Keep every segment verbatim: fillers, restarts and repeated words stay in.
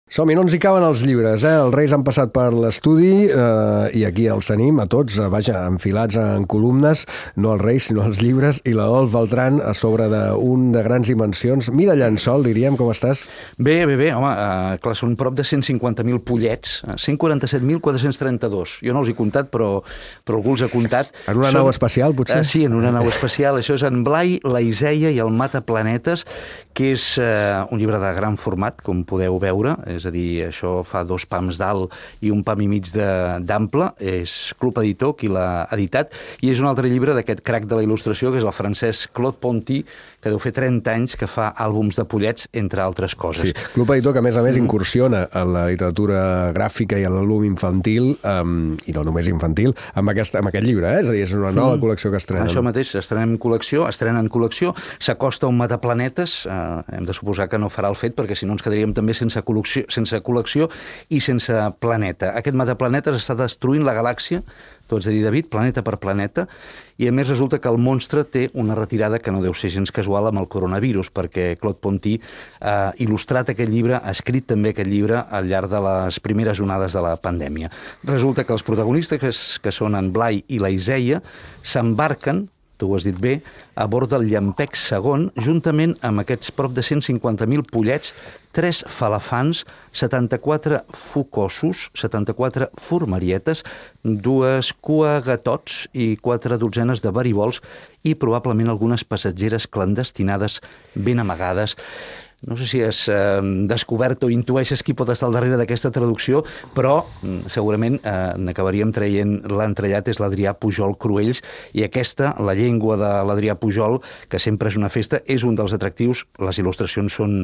Som-hi, no ens hi caben els llibres, eh? Els Reis han passat per l'estudi eh, i aquí els tenim a tots, vaja, enfilats en columnes, no els Reis, sinó els llibres, i l'Adolf Beltran a sobre d'un de grans dimensions. Mira llençol, diríem, com estàs? Bé, bé, bé, home, eh, clar, són prop de cent cinquanta mil pollets, cent quaranta-set mil quatre-cents trenta-dos. Jo no els he comptat, però, però algú els ha comptat. En una són... nau espacial, potser? Eh, sí, en una nau espacial. Això és en Blai, la Iseia i el Mataplanetes, que és eh, un llibre de gran format, com podeu veure, és a dir, això fa dos pams d'alt i un pam i mig d'ample, és Club Editor qui l'ha editat, i és un altre llibre d'aquest crac de la il·lustració, que és el francès Claude Ponty, que deu fer trenta anys que fa àlbums de pollets, entre altres coses. Sí, Club Editor, que a més a més mm. incursiona en la literatura gràfica i en l'àlbum infantil, um, i no només infantil, amb aquest, amb aquest llibre, eh? És a dir, és una nova mm. col·lecció que estrenen. Això mateix, estrenem col·lecció, estrenen col·lecció, s'acosta un Mataplanetes, eh, hem de suposar que no farà el fet, perquè si no ens quedaríem també sense col·lecció, sense col·lecció i sense planeta. Aquest Mataplanetes està destruint la galàxia, tu has de dir, David, planeta per planeta, i a més resulta que el monstre té una retirada que no deu ser gens casual amb el coronavirus, perquè Claude Ponty ha il·lustrat aquest llibre, ha escrit també aquest llibre al llarg de les primeres onades de la pandèmia. Resulta que els protagonistes, que, que són en Blai i la Iseia, s'embarquen, tu ho has dit bé, a bord del Llampecs segon, juntament amb aquests prop de cent cinquanta mil pollets, tres falafans, setanta-quatre focossos, setanta-quatre formarietes, dues cuagatots i quatre dotzenes de baribols i probablement algunes passatgeres clandestinades ben amagades. No sé si has eh, descobert o intueixes qui pot estar al darrere d'aquesta traducció, però segurament eh, n'acabaríem traient l'entrellat, és l'Adrià Pujol Cruells, i aquesta, la llengua de l'Adrià Pujol, que sempre és una festa, és un dels atractius. Les il·lustracions són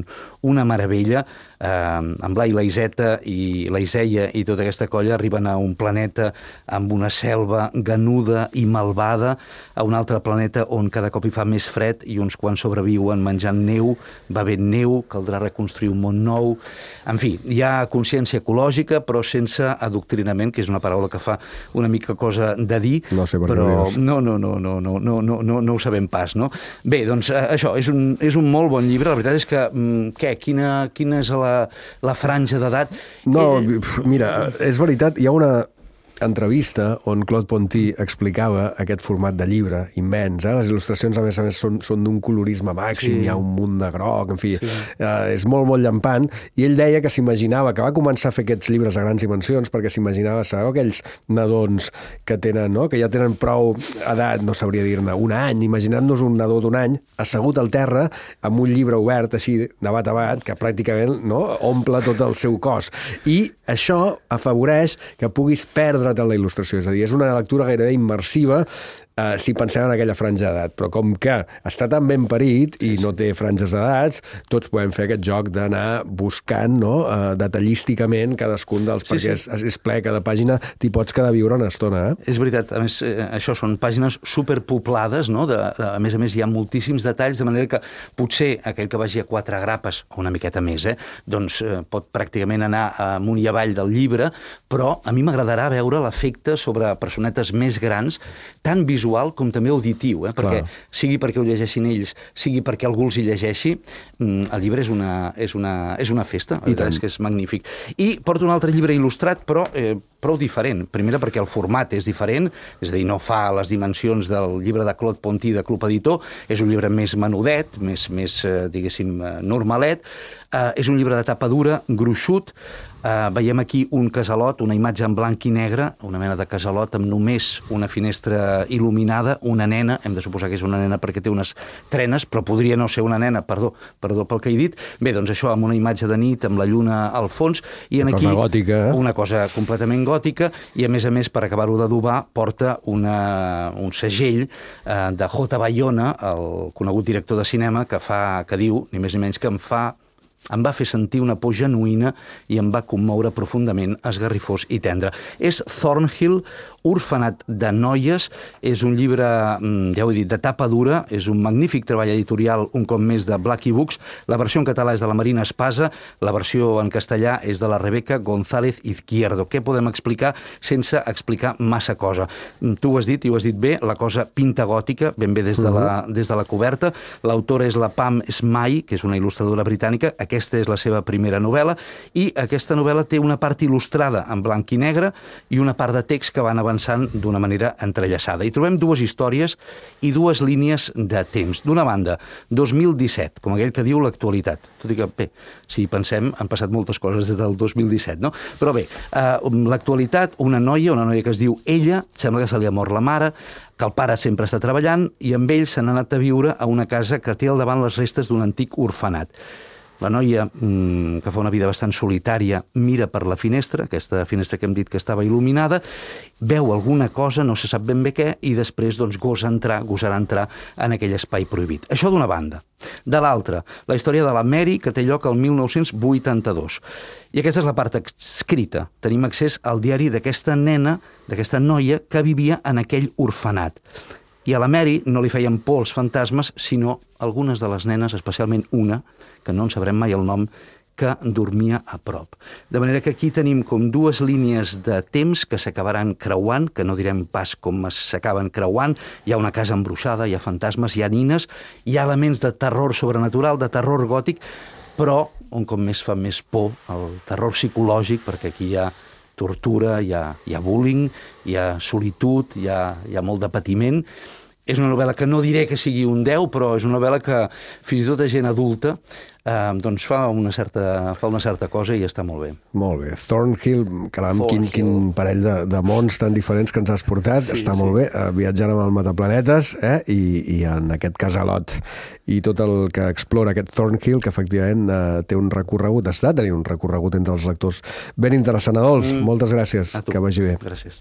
una meravella. Eh, en Blai, la Iseta i la Iseia i tota aquesta colla arriben a un planeta amb una selva ganuda i malvada, a un altre planeta on cada cop hi fa més fred i uns quants sobreviuen menjant neu, bevent neu, caldrà reconstruir un món nou. En fi, hi ha consciència ecològica, però sense adoctrinament, que és una paraula que fa una mica cosa de dir, no sé per però què no, no, no, no, no, no, no, no, no ho sabem pas, no? Bé, doncs això, és un, és un molt bon llibre. La veritat és que, què, quina, quina és la, la franja d'edat? No, mira, és veritat, hi ha una entrevista on Claude Ponty explicava aquest format de llibre immens, eh? Les il·lustracions a més a més són, són d'un colorisme màxim, sí. Hi ha un munt de groc, en fi, sí. eh, és molt, molt llampant, i ell deia que s'imaginava, que va començar a fer aquests llibres a grans dimensions perquè s'imaginava, sabeu, aquells nadons que tenen, no?, que ja tenen prou edat, no sabria dir-ne, un any, imaginant-nos un nadó d'un any assegut al terra amb un llibre obert així, de bat a bat, que pràcticament, no?, omple tot el seu cos, i això afavoreix que puguis perdre en la il·lustració, és a dir, és una lectura gairebé immersiva eh, si pensem en aquella franja d'edat, però com que està tan ben parit i no té franges d'edats, tots podem fer aquest joc d'anar buscant, no?, eh, detallísticament cadascun dels, sí, perquè sí. És, és ple, cada pàgina t'hi pots quedar a viure una estona. Eh? És veritat, a més, eh, això són pàgines superpoblades, no?, de, de, a més a més hi ha moltíssims detalls, de manera que potser aquell que vagi a quatre grapes, o una miqueta més, eh, doncs eh, pot pràcticament anar amunt i avall del llibre, però a mi m'agradarà veure l'efecte sobre personetes més grans, tan visual com també auditiu, eh? Perquè Clar. Sigui perquè ho llegeixin ells, sigui perquè algú els hi llegeixi, el llibre és una, és una, és una festa, la veritat és que és magnífic. I porto un altre llibre il·lustrat, però eh, prou diferent. Primera perquè el format és diferent, és a dir, no fa les dimensions del llibre de Claude Ponty de Club Editor, és un llibre més menudet, més, més eh, diguéssim, normalet, eh, és un llibre de tapa dura, gruixut. Uh, veiem aquí un casalot, una imatge en blanc i negre, una mena de casalot amb només una finestra il·luminada, una nena, hem de suposar que és una nena perquè té unes trenes, però podria no ser una nena, perdó, perdó pel que he dit. Bé, doncs això, amb una imatge de nit, amb la lluna al fons, i en una aquí cosa gòtica, eh? Una cosa completament gòtica, i a més a més, per acabar-ho d'adobar, porta una, un segell uh, de J. Bayona, el conegut director de cinema, que fa, que diu, ni més ni menys, que em fa em va fer sentir una por genuïna i em va commoure profundament, esgarrifós i tendre. És Thornhill, Orfenat de noies, és un llibre, ja ho he dit, de tapa dura, és un magnífic treball editorial, un cop més, de Blackie Books. La versió en català és de la Marina Espasa, la versió en castellà és de la Rebeca González Izquierdo. Què podem explicar sense explicar massa cosa? Tu ho has dit, i ho has dit bé, la cosa pinta gòtica, ben bé des de la, des de la coberta. L'autora és la Pam Smay, que és una il·lustradora britànica. Aquest Aquesta és la seva primera novel·la i aquesta novel·la té una part il·lustrada en blanc i negre i una part de text que van avançant d'una manera entrellaçada. I trobem dues històries i dues línies de temps. D'una banda, dos mil disset, com aquell que diu l'actualitat. Tot i que, bé, si pensem, han passat moltes coses des del dos mil disset, no? Però bé, eh, l'actualitat, una noia, una noia que es diu Ella, sembla que se li ha mort la mare, que el pare sempre està treballant i amb ell s'han anat a viure a una casa que té al davant les restes d'un antic orfenat. La noia, mmm, que fa una vida bastant solitària, mira per la finestra, aquesta finestra que hem dit que estava il·luminada, veu alguna cosa, no se sap ben bé què, i després doncs, gosa entrar, gosarà entrar en aquell espai prohibit. Això d'una banda. De l'altra, la història de la Mary, que té lloc al mil nou-cents vuitanta-dos. I aquesta és la part escrita. Tenim accés al diari d'aquesta nena, d'aquesta noia, que vivia en aquell orfenat. I a la Mary no li feien por els fantasmes, sinó algunes de les nenes, especialment una, que no en sabrem mai el nom, que dormia a prop. De manera que aquí tenim com dues línies de temps que s'acabaran creuant, que no direm pas com s'acaben creuant. Hi ha una casa embruixada, hi ha fantasmes, hi ha nines, hi ha elements de terror sobrenatural, de terror gòtic, però un cop més fa més por el terror psicològic, perquè aquí hi ha tortura, hi ha, hi ha bullying, hi ha solitud, hi ha, hi ha molt de patiment. És una novel·la que no diré que sigui un deu, però és una novel·la que fins i tot a gent adulta eh, doncs fa una, certa, fa una certa cosa i està molt bé. Molt bé. Thornhill, caram, quin, quin parell de, de mons tan diferents que ens has portat. Sí, està sí. molt bé, eh, viatjant amb el Mataplanetes eh, i, i en aquest casalot i tot el que explora aquest Thornhill, que efectivament eh, té un recorregut, està tenint un recorregut entre els lectors ben interessant. Adolf, mm. moltes gràcies, que vagi bé. Gràcies.